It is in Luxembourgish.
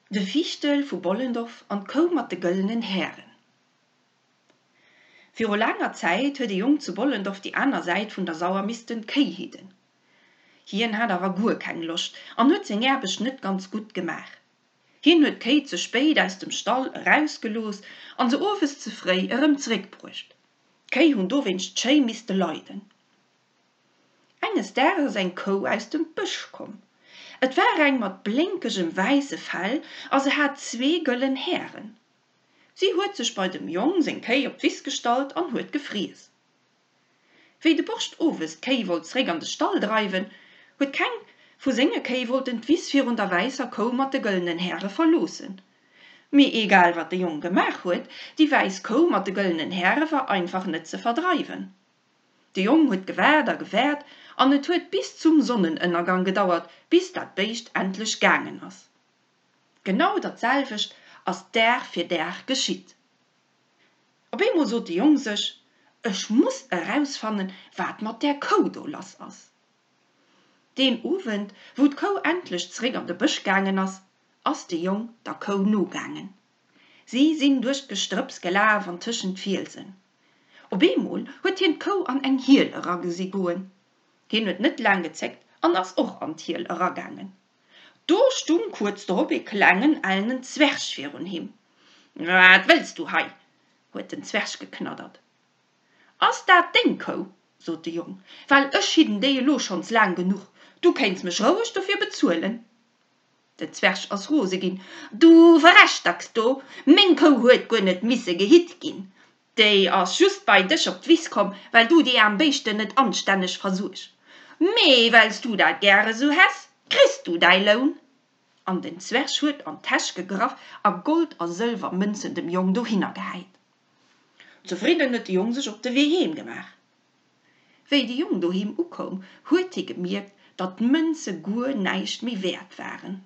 De Fiichtel vu Bollendorf an d'Kou mat de gëllenen Hären. Viru laanger Zäit huet e Jong zu Bollendorf déi aner Säit vun der Sauer missten Kéi hidden. Hien hat awer guer keng Loscht an huet seng Aarbecht net ganz gutt gemaach. Hien huet d'Kéi ze spéit aus dem Stall erausgelooss an se owes ze fréi erëm zeréckbruecht. D'Kéi hunn dowéinst schéi misste leiden. Enges Daags ass eng Kou aus dem Bësch komm. Et war eng mat blénkegem wäisse Fell a se hat zwee gëllen Hären. Si huet sech bei dem Jong seng Kéi op d'Wiss gestallt an huet gefriess. Wéi de Borscht owes d'Kéi wollt zréck an de Stall dreiwen, huet keng vu senge Kéi wollten d'Wiss virun der wäisser Kou mat de gëllenen Häre verloossen. Mee egal wat de Jong gemaach huet, déi wäiss Kou mat de gëllenen Häre war einfach net ze verdreiwen. De Jong huet gewaart a gewaart an et huet bis zum Sonnenënnergang gedauert, bis dat Béischt endlech gaangen ass. Genau dat selwecht ass Dag fir Dag geschitt. Op eemol sot de Jong sech, Ech muss erausfannen, wat mat där Kou do lass ass. Deen Owend, wou d'Kou endlech zeréck an de Bësch gaangen ass, ass de Jong der Kou nogaangen. Si sinn duerch d'Gestrëpps gelaf an tëschent d'Fielsen. Op eemol huet hien d'Kou an eng Hiel eragesi goen. Hien huet net laang gezéckt an ass och an d'Hiel eragaangen. Do stung kuerz drop ee klengen ellenen Zwerg virun him. Wat wëlls du hei? huet den Zwerg geknaddert. Ass dat deng Kou? sot de Jong, well ech hidden déi elo schonns laang genuch, du kéints mech roueg dofir bezuelen. Den Zwerg ass rose ginn. Du Verrechtacks do, meng Kou huet guer net misse gehitt ginn. Déi ass just bei dech op d'Wiss komm, well du déi aarm Béischten net anstänneg versuergs. Mee well s du dat gäre sou häss, kriss du däi Loun. An den Zwerg huet an d'Täsch gegraff a Gold a Sëlwermënzen dem Jong dohinner gehäit. Zefridden huet de Jong sech op de Wee heem gemaach. Wéi de Jong doheem ukoum, huet hie gemierkt, datt d'Mënze guer näischt méi wäert waren.